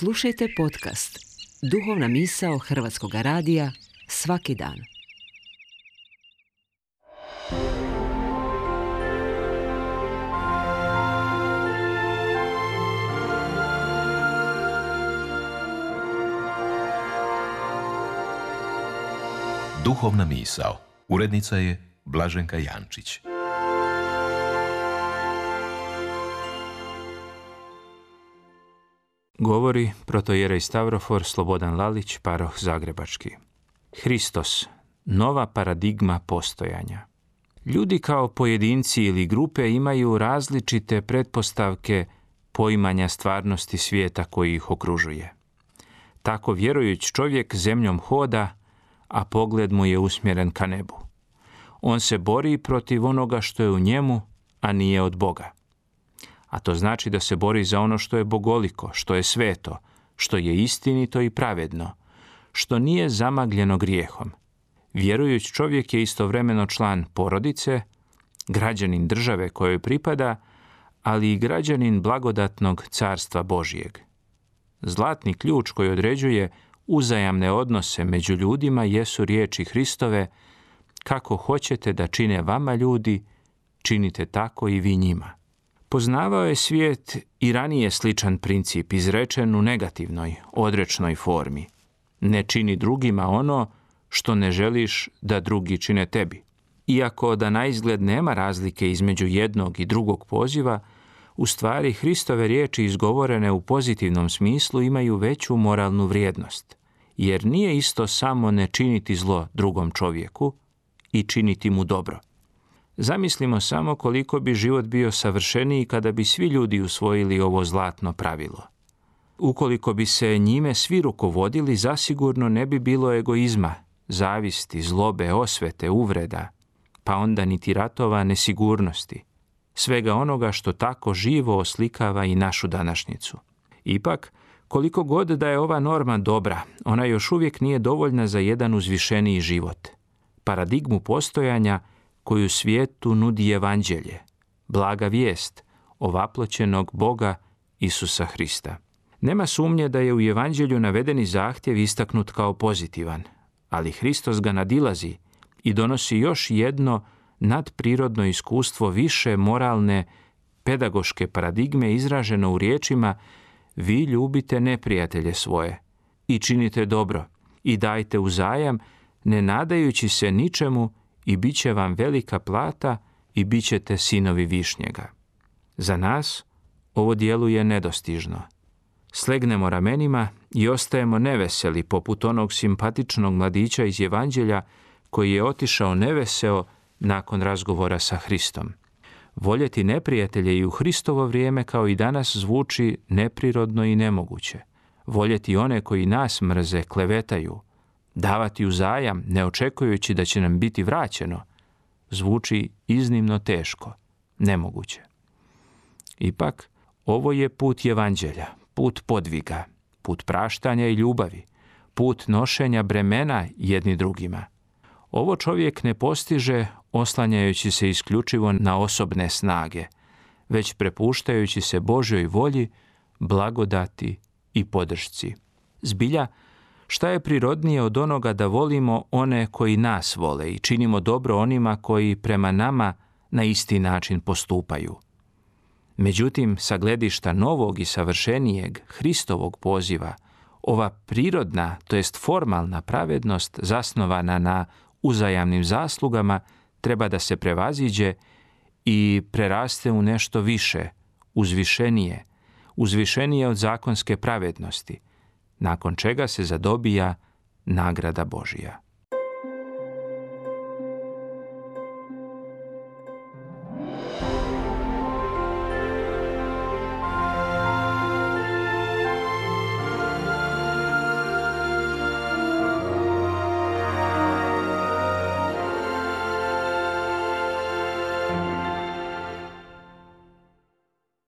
Slušajte podcast Duhovna misao Hrvatskog radija svaki dan. Duhovna misao. Urednica je Blaženka Jančić. Govori protojerej Stavrofor Slobodan Lalić, paroh Zagrebački. Hristos, nova paradigma postojanja. Ljudi kao pojedinci ili grupe imaju različite pretpostavke poimanja stvarnosti svijeta koji ih okružuje. Tako vjerujući čovjek zemljom hoda, a pogled mu je usmjeren ka nebu. On se bori protiv onoga što je u njemu, a nije od Boga. A to znači da se bori za ono što je bogoliko, što je sveto, što je istinito i pravedno, što nije zamagljeno grijehom. Vjerujući čovjek je istovremeno član porodice, građanin države kojoj pripada, ali i građanin blagodatnog carstva Božijeg. Zlatni ključ koji određuje uzajamne odnose među ljudima jesu riječi Hristove: kako hoćete da čine vama ljudi, činite tako i vi njima. Poznavao je svijet i ranije sličan princip izrečen u negativnoj, odrečnoj formi. Ne čini drugima ono što ne želiš da drugi čine tebi. Iako da naizgled nema razlike između jednog i drugog poziva, u stvari Hristove riječi izgovorene u pozitivnom smislu imaju veću moralnu vrijednost, jer nije isto samo ne činiti zlo drugom čovjeku i činiti mu dobro. Zamislimo samo koliko bi život bio savršeniji kada bi svi ljudi usvojili ovo zlatno pravilo. Ukoliko bi se njime svi rukovodili, zasigurno ne bi bilo egoizma, zavisti, zlobe, osvete, uvreda, pa onda niti ratova, nesigurnosti, svega onoga što tako živo oslikava i našu današnjicu. Ipak, koliko god da je ova norma dobra, ona još uvijek nije dovoljna za jedan uzvišeniji život. Paradigmu postojanja koju svijetu nudi evanđelje, blaga vijest ovaploćenog Boga Isusa Hrista. Nema sumnje da je u evanđelju navedeni zahtjev istaknut kao pozitivan, ali Hristos ga nadilazi i donosi još jedno nadprirodno iskustvo više moralne, pedagoške paradigme izraženo u riječima: vi ljubite neprijatelje svoje i činite dobro i dajte uzajam, ne nadajući se ničemu, i bit će vam velika plata i bit ćete sinovi višnjega. Za nas ovo djeluje nedostižno. Slegnemo ramenima i ostajemo neveseli poput onog simpatičnog mladića iz evanđelja koji je otišao neveseo nakon razgovora sa Hristom. Voljeti neprijatelje i u Hristovo vrijeme kao i danas zvuči neprirodno i nemoguće. Voljeti one koji nas mrze, klevetaju, davati uzajam, ne očekujući da će nam biti vraćeno, zvuči iznimno teško, nemoguće. Ipak, ovo je put evanđelja, put podviga, put praštanja i ljubavi, put nošenja bremena jedni drugima. Ovo čovjek ne postiže oslanjajući se isključivo na osobne snage, već prepuštajući se Božjoj volji, blagodati i podršci. Zbilja, šta je prirodnije od onoga da volimo one koji nas vole i činimo dobro onima koji prema nama na isti način postupaju? Međutim, sa gledišta novog i savršenijeg Hristovog poziva, ova prirodna, to jest formalna pravednost zasnovana na uzajamnim zaslugama treba da se prevaziđe i preraste u nešto više, uzvišenije od zakonske pravednosti, nakon čega se zadobija nagrada Božija.